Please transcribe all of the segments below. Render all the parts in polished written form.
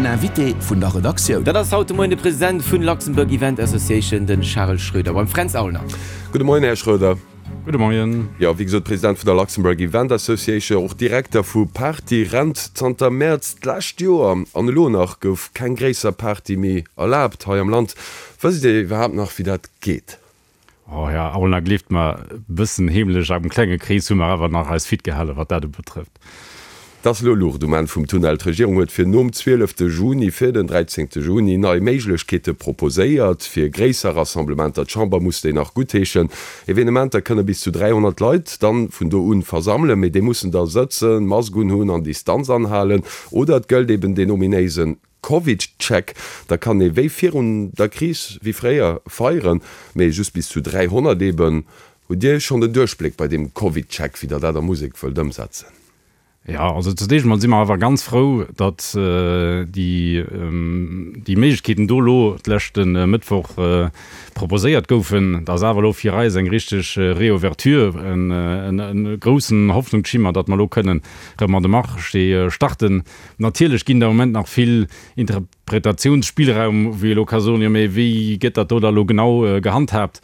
Den Invité vun der Redaktioun. Dat ass haut de Moien de President vun Luxembourg Event Association, de Charel Schroeder beim Fränz Aulner. Gudde Moien, Här Schroeder. Gudde Moien. Jo, wéi gesot, President vun der Luxembourg Event Association, och Direkter vu Party Rent zanter Mäerz d'lescht Joer. An elo nach gouf keng gréisser Party méi erlaabt hei am Land. Wësst Dir iwwerhaapt nach, wéi dat geet? Oh, Här Aulner, gleeft mer, e bëssen heemlech am klenge Krees hu mer awer nach eis fit gehalen, wat dat ubetrëfft. Et ass elo Luucht um Enn vum Tunnel. D'Regierung huet fir nom 12 Juni fir den 13 Juni nei Méiglechkeete proposéiert fir gréisser Rassemblementer. D'Chamber muss déi nach guttheeschen. Evenementer kënne bis zu 300 Leit dann vun do un versammelen, mee déi mussen da sëtzen, Mask unhunn an Distanz anhalen. Oder et gëllt eben deen ominéisen Covid-Check, da kann ee wéi virun der Kris, wéi fréier, feieren, mee just bis zu 300 eben. Hutt Dir schonn den Duerchbléck bei deem Covid-Check, wéi Der dat a Musek wëllt ëmsetzen? Jo, also zunächst emol si mer awer ganz frou, datt déi déi Méiglechkeeten do elo d'leschte Mëttwoch proposéiert goufen. Dat ass awer elo fir eis eng richteg Reouverture, en groussen Hoffnungsschimmer, datt mer elo kënnen erëm an de Marché starten. Natierlech ginn der am Moment nach vill Interpretatiounsspillraum, wou ee elo ka soen, jo mee wéi gëtt dat do da elo genau gehandhaabt?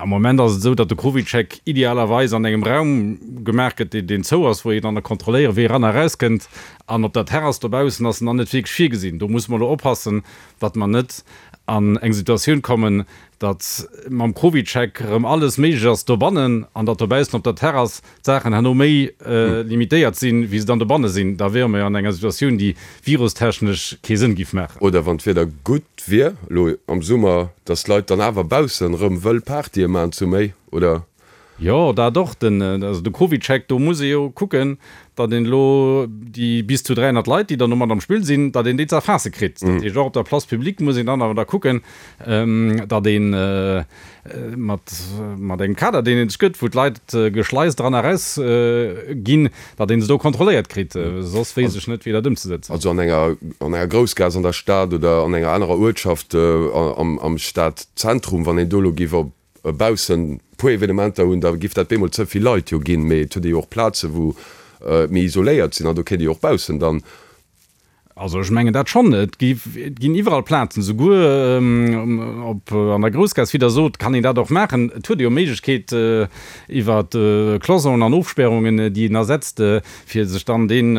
Am Moment ass et esou, datt de CovidCheck idealerweis an engem Raum gemaach gëtt, deen zou ass, wou een dann kontrolléiere wee eran a erauskënnt. An op der Terrass dobaussen ass en dann net wierklech virgesinn. Do musse mer elo oppassen, datt mer net an eng Situatioun kommen, datt mam CovidCheck erëm alles méiglech ass dobannen an datt dobaussen op der Terrass d'Saachen herno méi limitéiert sinn, wéi se dann dobanne sinn, da wiere mer jo an enger Situatioun, déi virustechnesch kee Sënn giff maachen. Oder wann d'Wieder gutt wier, elo am Summer, datt d'Leit dann awer baussen erëm wëll Partye man zu méi, oder? Jo, dat och. Den, also de CovidCheck, do muss ee jo kucken, datt een elo déi bis zu 300 Leit, déi dann do mat am Spill sinn, datt een déi ze erfaasse kritt. Dat heescht, och op der Place publique muss een dann awer da kucken, datt een mat, mat engem Kader, deen een sech gëtt, wou d'Leit geschleist eran a raus ginn, datt een se do kontrolléiert kritt. Soss weess ech net, wéi dat ëmzesetzen ass. Also an enger, an enger Groussgaass an der Stad oder an enger anerer Uertschaft am, am Stadzentrum, wann een do elo géif op baussen puer Evenementer hunn, da giff dat bemol ze vill Leit jo ginn, mee et huet ee jo och Plazen, wou et méi isoléiert sinn an do kéint ee jo och baussen dann. Also ech mengen dat schonn. Et gi, et ginn iwwerall Plazen, souguer op an der Groussgaass, wéi Der sot, kann een dat och maachen. Et huet ee jo Méiglechkeet iwwer Cloisonen an Ofspärungen, déi een da setzt, fir sech dann deen,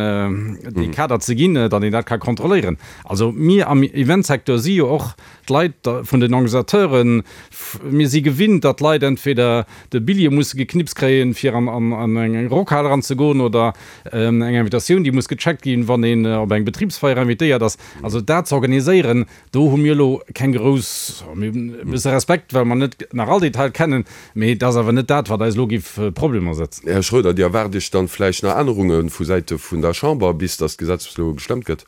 dee Kader ze ginn, datt een dat ka kontrolléieren. Also mir am Eventsecteur si jo och D'Leit vun den Organisateuren, mir si gewinnt, datt d'Leit entweder de Billjee musse geknipst kréien, fir an eng Rockhal eranzegoen, oder eng Invitatioun, déi muss gecheckt ginn, wann een op eng Betribsfeier invitéiert ass. Also dat ze organiséieren, do hu mir elo keng grouss, mir hunn e bësse Respekt, well mer net nach all Detail kennen, mee et ass awer net dat, wat eis elo géif Problemer setzen. Här Schroeder, Dir erwaart Iech dann vläicht nach Ännerunge vu Säite vun der Chamber, bis datt d'Gesetz elo gestëmmt gëtt?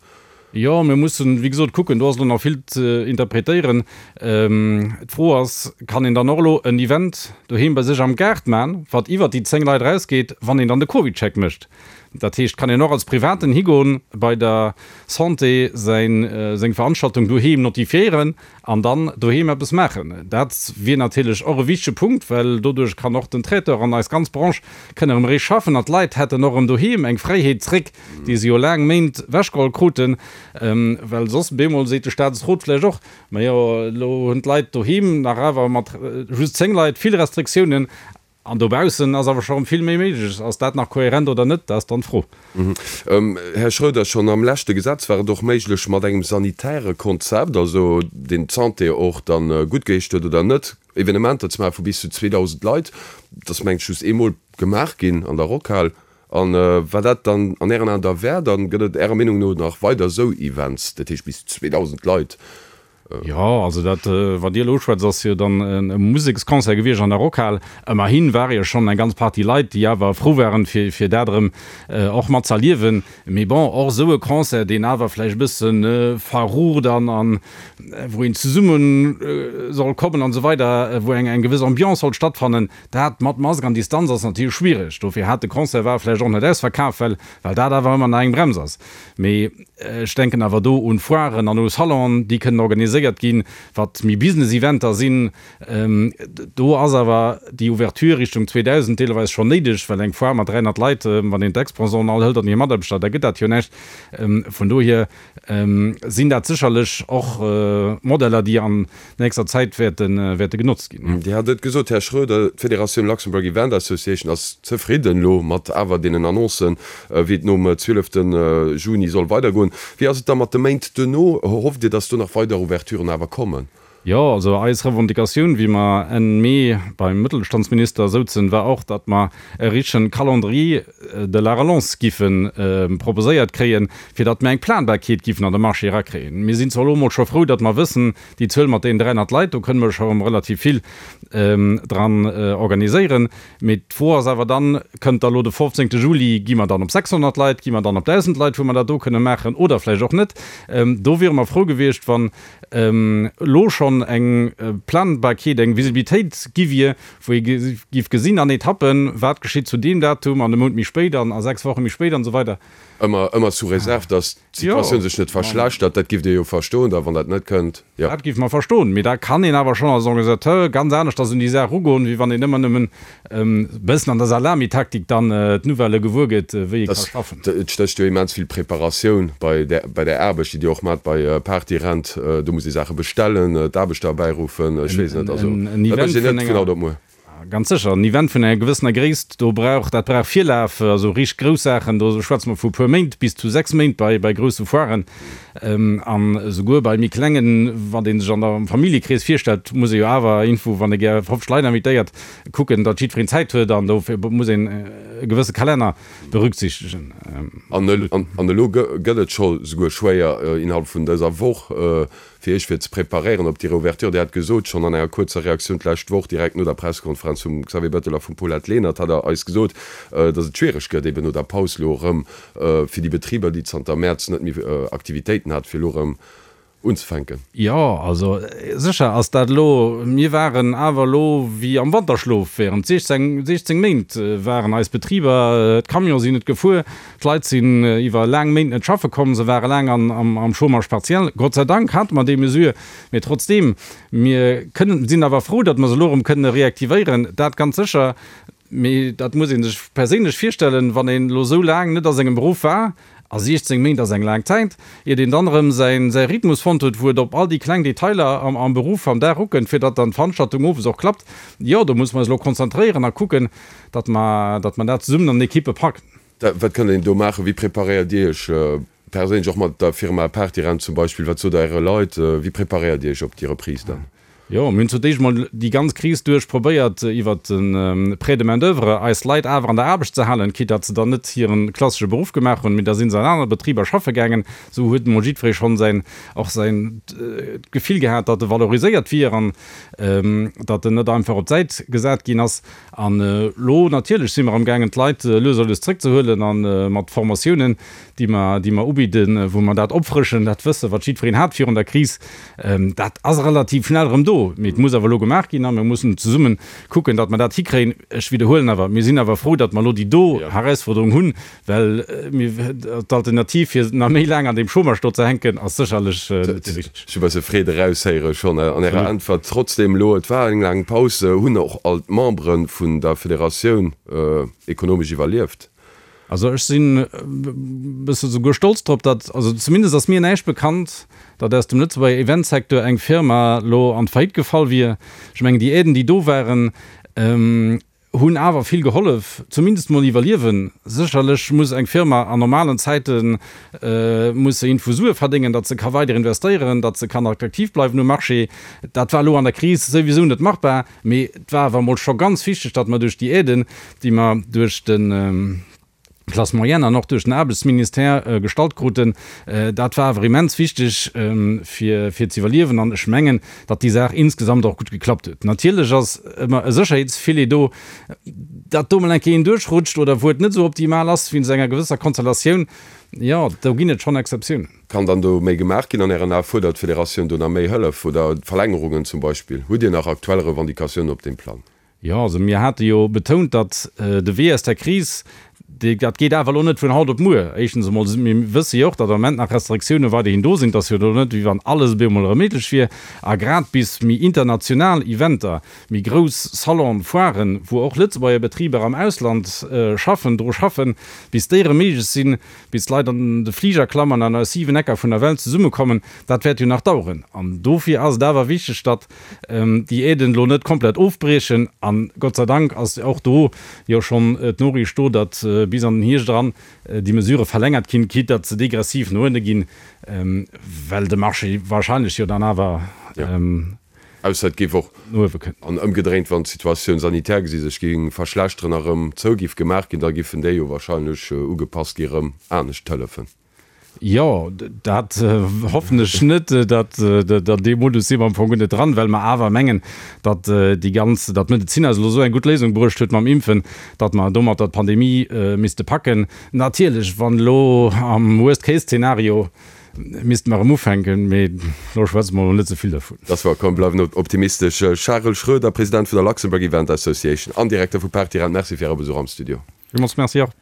Jo, mir mussen, wéi gesot, kucken. Do ass elo nach vill ze interpretéieren. D'Fro ass, Kann een dann och elo en Event doheem bei sech am Gaart man, wat iwwert déi 10 Leit erausgeet, wann een dann de CovidCheck mécht? Dat heescht, kann een och als Privaten higoen, bei der Santé säin, seng Veranstaltung doheem notifiéieren an dann doheem eppes maachen? Dat wier natierlech och e wichtege Punkt, well doduerch kann och den Traiteur an eis ganz Branche kënne erëm eréischt schaffen an d'Leit hätten och erëm doheem eng Fräiheet zréck, déi se jo laang Méint wechgeholl kruten, well soss bemol seet de Staatsrot vläicht och, majo elo hunn d'Leit doheem nach awer mat just 10 Leit vill Restriktiounen an dobaussen ass awer scho rëm vill méi méiglech. Ass dat nach kohärent oder net, dat ass dann d'Fro. Här Schroeder, schonn am leschte Gesetz war et och méiglech, mat engem sanitäre Konzept, also deen d'Santé och dann guttgeheescht huet oder net, Evenementer ze maache vu bis zu 2.000 Leit. Dat ass mengen ech just eemol gemaach ginn an der Rockhal. A wat dat dann an Ären Aen da wär, dann gëtt et Ärer Meenung no nach weider esou Events, dat heescht bis 2.000 Leit? Jo, also dat, wat Dir elo uschwätzt, ass jo dann e Museksconcert gewiescht an der Rockhal. Ëmmerhi ware jo schonn eng ganz Partie Leit, déi awer frou waren, fir, fir dat erëm och mat z'erliewen. Mee bon, och esou e Concert, deen awer vläicht e bësse verrucht an, an wou een zesumme soll kommen an esou weider, wou eng, eng gewëss Ambiance soll stattfannen, Dat mat Mask an Distanz ass natierlech schwiereg. Dofir hat de Concert war vläicht och net ausverkaf, well well dat awer ëmmer nach eng Brems ass. Mee ech denken awer do un Foiren an u Salonen, déi kënnen organiséiert. organiséiert ginn, wat méi Business-Eventer sinn. Do ass awer déi Ouverture Richtung 2.000 deelweis schonn néideg, well eng Foire mat 300 Leit, wann een d'Exposanten all hëlt an hir Mataarbechter, da gëtt dat jo näischt. Vun dohier sinn dat sécherlech och Modeller, déi an nächster Zäit wäerte genotzt ginn. Dir hat et gesot, Här Schroeder, d'Federatioun Luxembourg Event Association ass zefridden elo mat awer deenen Annoncen, wéi et nom 12 Juni soll weidergoen. Wéi ass et da mat de Méint duerno? Hofft Dir, datt do nach weider Ouverturen awer kommen? Jo, also eis Revendicatioun, wéi mer Enn Mee beim Mëttelstandsminister souzen, war och, datt mer e richtegen Calendrier de la relance giffe proposéiert kréien, fir datt mer eng Planbarkeet giffen an de Marché erakréien. Mir sinn zwar elo emol scho frou, datt mer wëssen, déi Zuel mat deenen 300 Leit, do kënne mer scho erëm relativ vill dran organiséieren. Mee d'Fro ass awer dann, Kënnt da elo de 15. Juli, gi mer dann op 600 Leit, gi mer dann op 1.000 Leit, wou mer dat do kënne maachen oder vläicht och net? Do wiere mer frou gewiescht, wann elo schonn eng Planbarkeet, eng Visibilitéit gi wier, wou ee géif gesinn an Etappen, wat geschitt zu deem Datum an e Mount méi spéit an a 6 Woche méi spéit an esou weider. Ëmmer, ëmmer sous réserve, dass d'Situatioun sech net verschlechtert. Dat giff Dir jo verstoen da, wann dat net kënnt. Jo. Dat giff mer verstoen. Mee da kann een awer schonn als Organisateur ganz aneschters un déi Saach ugoen, wéi wann een ëmmer nëmmen e bëssen an der Salamitaktik dann d'Nouvellë gewuer gëtt, wéi ee ka schaffen. Et stécht jo immens vill Preparatioun bei där, bei där Aarbecht, déi Dir och maacht bei Partyrent. Do muss ee Saache bestellen, d'Aarbechter erbäiruffen, ech weess net. Also dat mécht een net vun haut op muer. Ganz sécher, en Event vun enger gewëssener Gréisst, do brauch, dat brauch Virlaf, also richteg grouss Saachen, do schwätze mer vu puer Méint bis zu 6 Méint bei, bei grousse Foiren. An esouguer bei méi klengen, wat ee sech an der, am Familljekrees virstellt, muss ee jo awer iergendwou, wann ee gär 50 Leit invitéiert, kucken, datt jiddwereen Zäit huet an dofir muss een e gewësse Kalenner berücksichtegen. An elo gëtt et scho souguer schwéier, innerhalb vun dëser Woch fir Iech fir ze preparéieren op déi Reouverture. Dir hat gesot, schonn an enger kuerzer Reaktioun d'lescht Woch, direkt no der Pressekonferenz vum Xavier Bettel a vum Paulette Lenert, hat Der eis gesot, datt et schwiereg gëtt, eben no der Paus elo erëm fir déi Betriber, déi zanter Mäerz net méi Aktivitéiten hat, fir elo erëm unzefänken. Jo, also sécher ass dat elo. Mir waren awer elo wéi am Wanterschlof während 16, 16 Méint waren eis Betriber, d'Camione sinn net gefuer, D'Leit sinn iwwer laang Méint net schaffe komm, se ware laang am Chômage partiel. Gott sei Dank hate mer déi Mesure, mee trotzdeem, mir kënnen, sinn awer frou, datt mer se elo erëm kënne reaktivéieren, dat ganz sécher. Mee dat muss ee sech perséinlech virstellen, wann een elo esou laang net a sengem Beruff war, a 16 Méint ass eng laang Zäit, iert een dann erëm säi Rhythmus fonnt huet, wou et op all déi kleng Detailer am Beruff am Dag ukënnt, fir datt dann d'Veranstaltung owes och klappt. Jo, do musse mer eis elo konzentréieren a kucken, datt mer dat zesummen an Ekippe packen. Wat kënnt een do maachen? Wéi preparéiert Dir Iech perséinlech, och mat der Firma Partyrent zum Beispill? Wat sot Der Äre Leit? Wéi preparéiert Dir Iech op déi Reprise dann? Jo, mir hunn zu d'éischt mol déi ganz Kris duerch probéiert, iwwert de Prêt de main d'oeuvre eis Leit awer an der Aarbecht ze halen, quitte datt se dann net hire klassesche Beruff gemaach hunn, mee da si se an aner Betriber schaffe gaangen. Esou huet emol jiddweree schonn säin, och säin d'Gefill gehat, datt e valoriséiert wier an datt en net einfach op d'Säit gesat ginn ass. An elo natierlech si mer amgaangen, d'Leit lues a lues zrëckzehuelen a mat Formatiounen, déi mer, déi mer ubidden, wou mer dat opfrëschen, dat Wësse wat jiddwereen hat virun der Kris, dat ass relativ schnell erëm do. Mee et muss awer elo gemaach ginn a mir mussen zesumme kucken, datt mer dat hikréien. Ech widderhuelen awer, mir sinn awer frou, datt mer elo déi do Herausforderung hunn, Well d'Alternativ, fir nach méi laang an deem Chômage do ze hänken, ass sécherlech net déi richteg. Ech hu bësse Freed eraushéiere schonn an Ärer Äntwert. Trotzdem elo, et war eng laang Paus, hunn och all d'Membere vun der Federatioun ekonomesch iwwerlieft? Also ech sinn e bësse souguer stolz drop, datt, also zumindest ass mir näischt bekannt, datt aus dem Lëtzebuerger Eventsecteur eng Firma elo an d'Faillite gefall wier. Ech mengen, déi Aiden, déi do waren, Hunn awer vill gehollef, zumindest mol iwwerliewen. Sécherlech muss eng Firma an normalen Zäite muss se iergendwou Sue verdéngen, datt se ka weider investéieren, datt se kann attraktiv bleiwen um Marché. Dat war elo an der Kris souwisou net machbar, mee et war awer mol scho ganz wichteg, datt mer duerch déi Aiden, déi mer duerch de. Classe moyenne an och duerch den Aarbechtsministère gestallt kruten, dat war awer immens wichteg fir fir ze iwwerliewen an ech mengen, datt déi Saach insgesamt och gutt geklappt huet. Natierlech ass ëmmer e Sécherheetsfilet do, datt do mol eng Kéier een duerchrutscht oder wou et net esou optimal ass wéinst enger gewësser Konstellatioun, jo, do ginn et schonn Exceptiounen. Kann dann do méi gemaach ginn an Ären Ae? Fuerdert d'Federatioun do nach méi Hëllef oder Verlängerungen zum Beispill? Hutt Dir nach aktuell Revendicatiounen op deem Plang? Jo, also mir hate jo betount, datt de Wee aus der Kris. Dat geet awer elo net vun haut op muer. Éischtens emol, mir wësse jo och, datt am Moment nach Restriktioune weiderhin do sinn. Et ass jo elo net, wéi wann alles op eemol erëm méiglech wier. A grad bis méi international Eventer, méi grouss Salonen, Foiren, wou och Lëtzebuerger Betriber am Ausland schaffen, dru schaffen, bis déi erëm méiglech sinn, bis d'Leit an de Fliger klammen an aus 7 Ecker vun der Welt zesummekommen, dat wäert jo nach daueren. An dofir ass et awer wichteg, datt déi Aiden elo net komplett ofbriechen. An Gott sei Dank ass och do jo schonn d'Noriicht do, datt bis an den Hierscht eran déi Mesurë verlängert ginn, quitte datt se degressiv no ënne ginn, well de Marché wahrscheinlech jo dann awer Ausser et géif och, no uewe kënnt. An ëmgedréint, wann d'Situatioun sanitär gesi sech géing verschlechteren a rëm zou giff gemaach ginn, da giffen déi jo wahrscheinlech ugepasst gi rëm anescht hëllefen. Jo, dat hoffen ech net, datt an deem Modus si mer am Fong guer net dran, well mer awer mengen, datt déi ganz, datt d'Medezin eis elo esou eng gutt Léisung bruecht huet mam Impfen, datt mer domatter d'Pandemie misste packen. Natierlech, wann elo am Worst-Case-Zeenario misste mer erëm ufänken, mee elo schwätze mer emol net ze vill dervun. Dass war, komm, bleiwen optimistesch. Charel Schroeder, President vun der Luxembourg Event Association an Direkter vu Partirent, Merci fir Äre Besuch am Studio. Villmools Merci och.